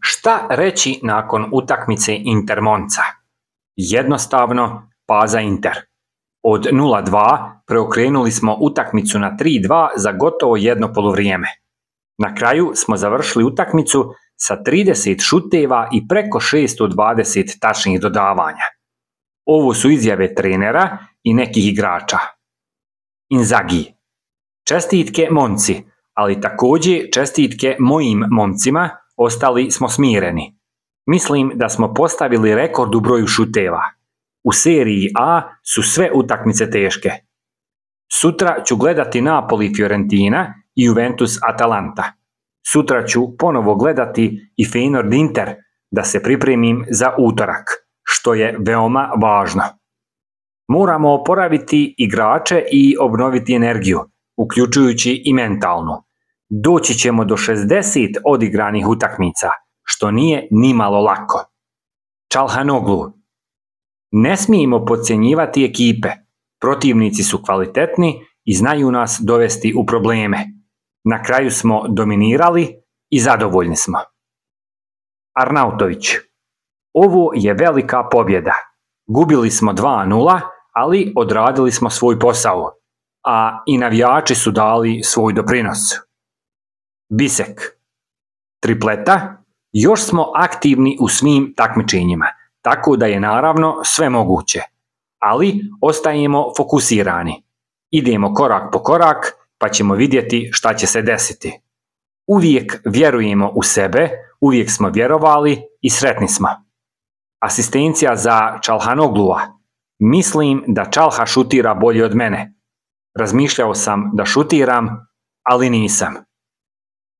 Šta reći nakon utakmice Inter-Monza? Jednostavno, paza Inter. Od 0-2 preokrenuli smo utakmicu na 3-2 za gotovo jedno poluvrijeme. Na kraju smo završili utakmicu sa 30 šuteva i preko 620 tačnih dodavanja. Ovo su izjave trenera i nekih igrača. Inzaghi. Čestitke momci, ali također čestitke mojim momcima, ostali smo smireni. Mislim da smo postavili rekord u broju šuteva. U seriji A su sve utakmice teške. Sutra ću gledati Napoli Fiorentina i Juventus Atalanta. Sutra ću ponovo gledati i Feyenoord Inter da se pripremim za utorak, što je veoma važno. Moramo oporaviti igrače i obnoviti energiju, uključujući i mentalnu. Doći ćemo do 60 odigranih utakmica, što nije nimalo lako. Çalhanoğlu. Ne smijemo podcjenjivati ekipe. Protivnici su kvalitetni i znaju nas dovesti u probleme. Na kraju smo dominirali i zadovoljni smo. Arnautović. Ovo je velika pobjeda. Gubili smo 2-0, ali odradili smo svoj posao, a i navijači su dali svoj doprinos. Bisek. Tripleta. Još smo aktivni u svim takmičenjima, tako da je naravno sve moguće, ali ostajemo fokusirani. Idemo korak po korak, pa ćemo vidjeti šta će se desiti. Uvijek vjerujemo u sebe, uvijek smo vjerovali i sretni smo. Asistencija za Çalhanoğlua. Mislim da Çalha šutira bolje od mene. Razmišljao sam da šutiram, ali nisam.